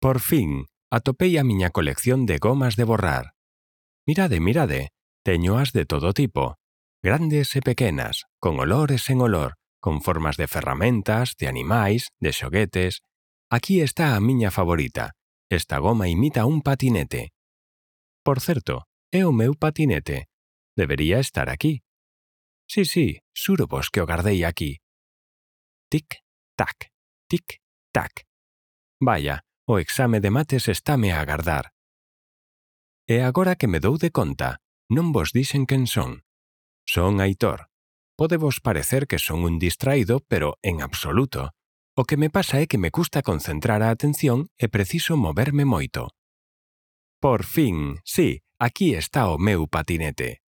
Por fin, atopei a miña colección de gomas de borrar. Mirade, mirade, teñoas de todo tipo, grandes e pequenas, con olor e sen olor, con formas de ferramentas, de animais, de xoguetes. Aquí está a miña favorita. Esta goma imita un patinete. Por certo, é o meu patinete. Debería estar aquí. Sí, xuro vos que o gardei aquí. Tic-tac, tic-tac. Vaya, o exame de mates estáme a agardar. E agora que me dou de conta, non vos dixen quen son. Son Aitor. Pode vos parecer que son un distraído, pero en absoluto. O que me pasa é que me custa concentrar a atención e preciso moverme moito. Por fin, sí, aquí está o meu patinete.